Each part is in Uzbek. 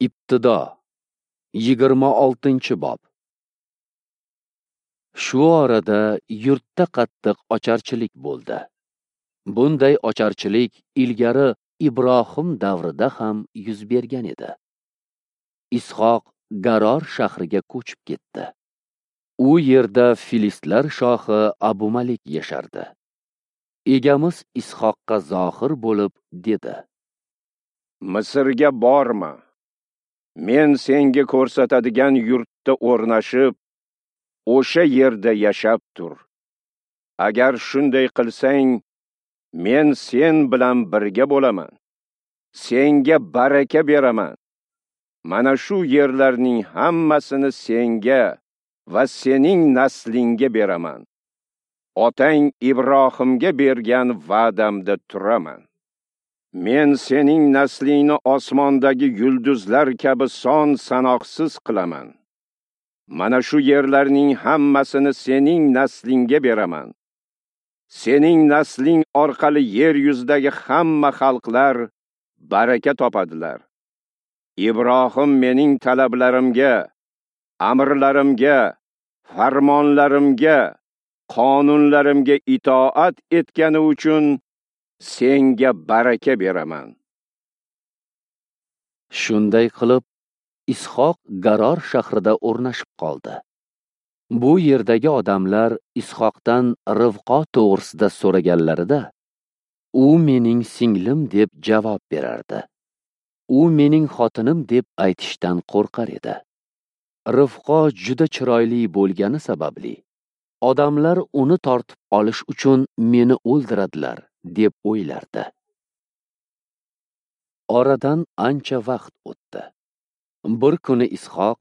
Ibtido 26-bob. Shu orada yurtda qattiq ocharchilik bo'ldi. Bunday ocharchilik ilgari Ibrohim davrida ham yuz bergan edi. Ishoq Garor shahriga ko'chib ketdi. U yerda filistlar shohi Abumalik yashardi. Egamiz Ishoqqa zohir bo'lib dedi: Misrga borma. Men senga ko'rsatadigan yurtda o'rnashib, o'sha yerda yashab tur. Agar shunday qilsang, men sen bilan birga bo'laman. Senga baraka beraman. Mana shu yerlarning hammasini senga va sening naslingga beraman. Otang Ibrohimga bergan va'damda turaman. Men sening naslingni osmondagi yulduzlar kabi son sanoqsiz qilaman. Mana shu yerlarning hammasini sening naslingga beraman. Sening nasling orqali yer yuzidagi hamma xalqlar baraka topadilar. Ibrohim mening talablarimga, amrlarimga, farmonlarimga, qonunlarimga itoat etgani uchun senga baraka beraman. Shunday qilib, Ishoq Garor shahrida o'rnashib qoldi. Bu yerdagi odamlar Ishoqdan Rivqo to'g'risida so'raganlarida, u mening singlim deb javob berardi. U mening xotinim deb aytishdan qo'rqar edi. Rivqo juda chiroyli bo'lgani sababli odamlar uni tortib olish uchun meni o'ldiradilar deb o'ylardi. Oradan ancha vaqt o'tdi. Bir kuni Ishoq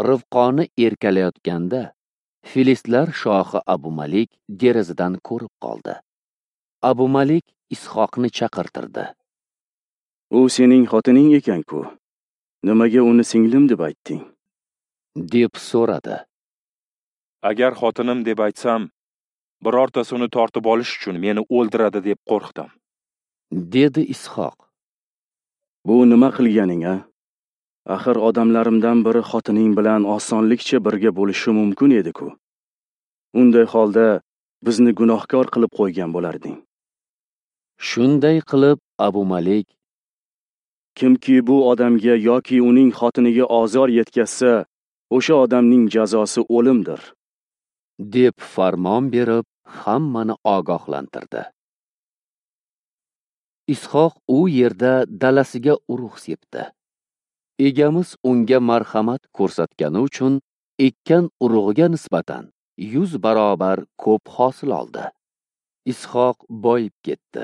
Rivqoni erkalayotganda filistlar shohi Abumalik derazadan ko'rib qoldi. Abumalik Ishoqni chaqirtirdi. U sening xotining ekan-ku. Nimaga uni singlim deb aytding? Deb so'radi. Agar xotinim deb aytsam, birortasi uni tortib olish uchun meni o'ldiradi deb qo'rqdim, dedi Ishoq. Bu nima qilganing, a? Axir odamlarimdan biri xotining bilan osonlikcha birga bo'lishi mumkin edi-ku. Unday holda bizni gunohkor qilib qo'ygan bo'larding. Shunday qilib Abumalik: Kimki bu odamga yoki uning xotiniga ozor yetkazsa, o'sha odamning jazosi o'limdir, deb farmon berib, hammani ogohlantirdi. Ishoq u yerda dalasiga urug' sepdi. Egamiz unga marhamat ko'rsatgani uchun ekkan urug'iga nisbatan 100 barobar ko'p hosil oldi. Ishoq boyib ketdi.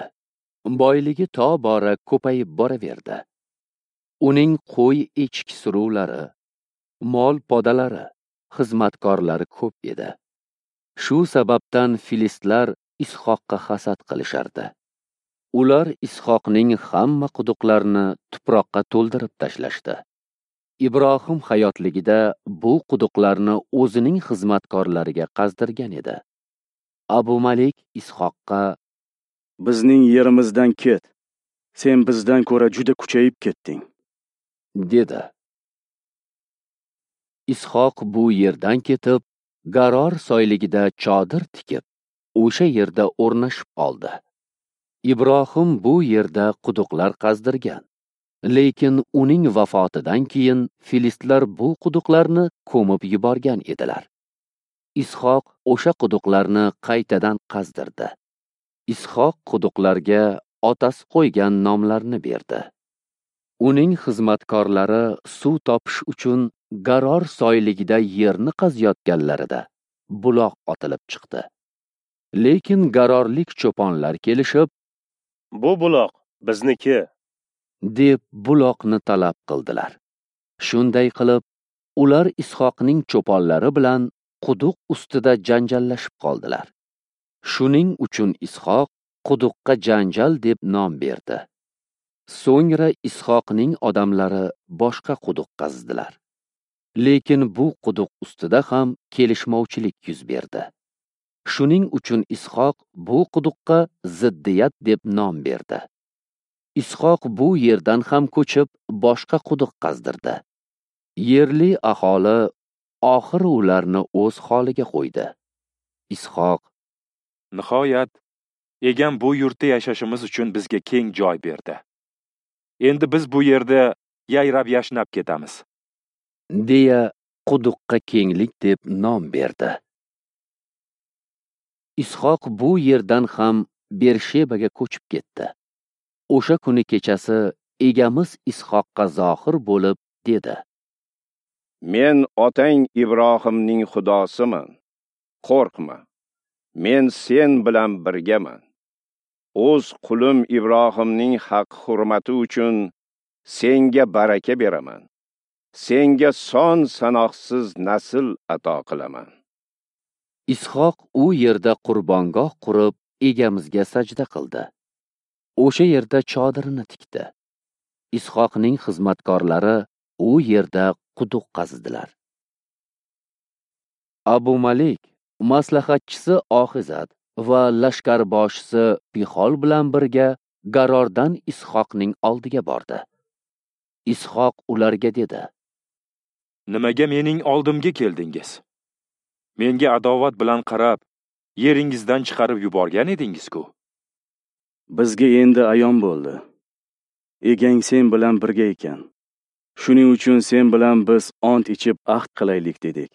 Boyligi tobora ko'payib boraverdi. Uning qo'y echki suruvlari, mol podalari, xizmatkorlari ko'p edi. Shu sababdan filistlar Ishoqqa hasad qilishardi. Ular Ishoqning hamma quduqlarini tuproqqa to'ldirib tashlashdi. Ibrohim hayotligida bu quduqlarni o'zining xizmatkorlariga qazdirgan edi. Abumalik Ishoqqa: Bizning yerimizdan ket. Sen bizdan ko'ra juda kuchayib ketding, dedi. Ishoq bu yerdan ketib, Garor soyligida chodir tikib, o'sha yerda o'rnashib oldi. Ibrohim bu yerda quduqlar qazdirgan. Lekin uning vafotidan keyin filistlar bu quduqlarni ko'mib yuborgan edilar. Ishoq o'sha quduqlarni qaytadan qazdirdi. Ishoq quduqlarga otasi qo'ygan nomlarni berdi. Uning xizmatkorlari suv topish uchun Garor soyligida yerni qaziyotganlarida buloq otilib chiqdi. Lekin garorlik cho'ponlar kelishib, "Bu buloq bizniki", deb buloqni talab qildilar. Shunday qilib, ular Ishoqning cho'ponlari bilan quduq ustida janjallashib qoldilar. Shuning uchun Ishoq quduqqa janjal deb nom berdi. So'ngra Ishoqning odamlari boshqa quduq qazdilar. Lekin bu quduq ustida ham kelishmovchilik yuz berdi. Shuning uchun Ishoq bu quduqqa ziddiyat deb nom berdi. Ishoq bu yerdan ham ko'chib, boshqa quduq qazdirdi. Yerli aholi oxiri ularni o'z holiga qo'ydi. Ishoq: Nihoyat, egam bu yurtda yashashimiz uchun bizga keng joy berdi. Endi biz bu yerda yayrab yashnab ketamiz, deya quduqqa kenglik deb nom berdi. Ishoq bu yerdan ham Bershebaga ko'chib ketdi. O'sha kuni kechasi egamiz Ishoqqa zohir bo'lib dedi: Men otang Ibrohimning Xudosiman. Qo'rqma. Men sen bilan birgaman. O'z qulim Ibrohimning haq-hurmati uchun senga baraka beraman. Senga son sanoqsiz nasl ato qilaman. Ishoq u yerda qurbongoh qurib, egamizga sajda qildi. O'sha yerda chodirini tikdi. Ishoqning xizmatkorlari u yerda quduq qazdilar. Abu Malik maslahatchisi Oxizat va lashkarboshisi Pixol bilan birga Garordan Ishoqning oldiga bordi. Ishoq ularga dedi: Nimaga mening oldimga keldingiz? Menga adovat bilan qarab, yeringizdan chiqarib yuborgan edingiz-ku. Bizga endi ayon bo'ldi. Egang sen bilan birga ekan. Shuning uchun sen bilan biz ont ichib ahd qilaylik dedik.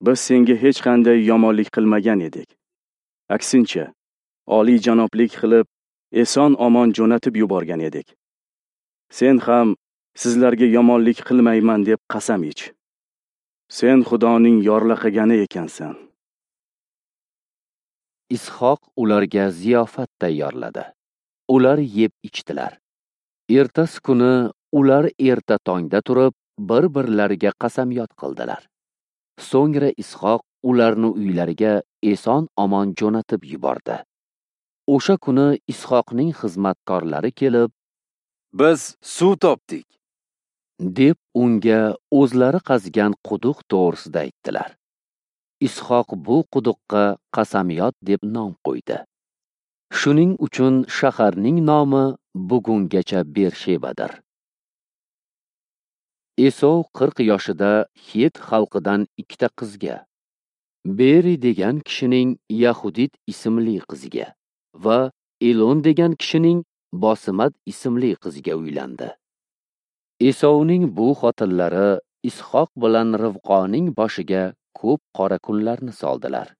Biz senga hech qanday yomonlik qilmagan edik. Aksincha, oliy janoblik qilib, eson-omon jo'natib yuborgan edik. Sen ham sizlarga yomonlik qilmayman deb qasam ich. Sen Xudoning yorlaqagani ekansan. Ishoq ularga ziyofat tayyorladi. Ular yeb ichdilar. Ertasi kuni ular erta tongda turib, bir-birlariga qasamyod qildilar. So'ngra Ishoq ularni uylariga eson-omon jo'natib yubordi. O'sha kuni Ishoqning xizmatkorlari kelib, "Biz suv topdik", deb unga o'zlari qazgan quduq to'g'risida aytdilar. Ishoq bu quduqqa qasamyod deb nom qo'ydi. Shuning uchun shaharning nomi bugungacha Bershebadir. Esov 40 yoshida Het xalqidan ikkita qizga, Beri degan kishining Yahudit ismli qiziga va Elon degan kishining Bosimat ismli qiziga uylandi. Esovning bu xotinlari Ishoq bilan Rivqoning boshiga ko'p qora kunlarni soldilar.